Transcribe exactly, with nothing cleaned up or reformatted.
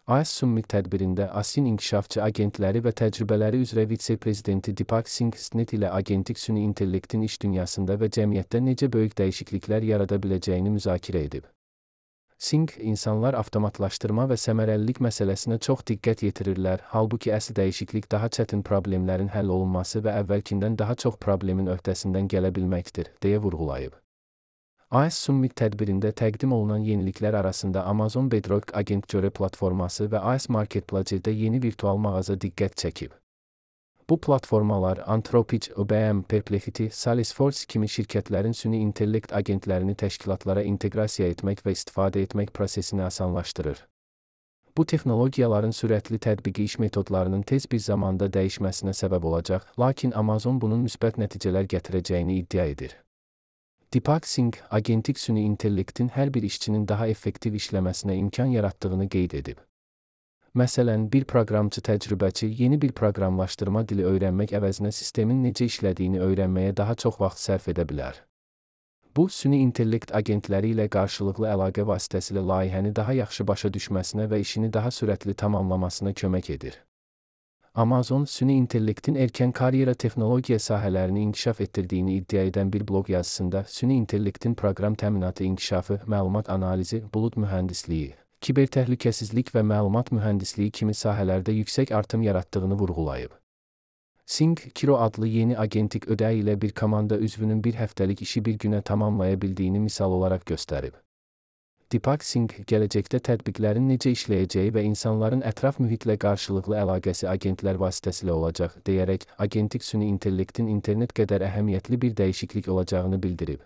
A S Summit tədbirində A S-in inkişafçı agentləri və təcrübələri üzrə vitse-prezidenti Deepak Singh Snit ilə agentik süni intellektin iş dünyasında və cəmiyyətdə necə böyük dəyişikliklər yarada biləcəyini müzakirə edib. Singh, insanlar avtomatlaşdırma və səmərəlilik məsələsinə çox diqqət yetirirlər, halbuki əsl dəyişiklik daha çətin problemlərin həll olunması və əvvəlkindən daha çox problemin öhdəsindən gələ bilməkdir, deyə vurğulayıb. A S Summit tədbirində təqdim olunan yeniliklər arasında Amazon Bedrock Agent Göre platforması və A S Marketplace-də yeni virtual mağaza diqqət çəkib. Bu platformalar Anthropic, I B M, Perplexity, Salesforce kimi şirkətlərin süni intellekt agentlərini təşkilatlara inteqrasiya etmək və istifadə etmək prosesini asanlaşdırır. Bu texnologiyaların sürətli tətbiqi iş metodlarının tez bir zamanda dəyişməsinə səbəb olacaq, lakin Amazon bunun müsbət nəticələr gətirəcəyini iddia edir. Deepak Singh, agentik süni intellektin hər bir işçinin daha effektiv işləməsinə imkan yaratdığını qeyd edib. Məsələn, bir proqramçı təcrübəçi yeni bir proqramlaşdırma dili öyrənmək əvəzinə sistemin necə işlədiyini öyrənməyə daha çox vaxt sərf edə bilər. Bu, süni intellekt agentləri ilə qarşılıqlı əlaqə vasitəsilə layihəni daha yaxşı başa düşməsinə və işini daha sürətli tamamlamasına kömək edir. Amazon, süni intellektin erkən karyera texnologiya sahələrini inkişaf etdirdiyini iddia edən bir bloq yazısında, süni intellektin proqram təminatı inkişafı, məlumat analizi, bulud mühəndisliyi, kibertəhlükəsizlik və məlumat mühəndisliyi kimi sahələrdə yüksək artım yaratdığını vurğulayıb. Singh, Kiro adlı yeni agentik ödəyi ilə bir komanda üzvünün bir həftəlik işi bir günə tamamlaya bildiyini misal olaraq göstərib. Deepak Singh, gələcəkdə tətbiqlərin necə işləyəcəyi və insanların ətraf mühitlə qarşılıqlı əlaqəsi agentlər vasitəsilə olacaq, deyərək, agentik süni intellektin internet qədər əhəmiyyətli bir dəyişiklik olacağını bildirib.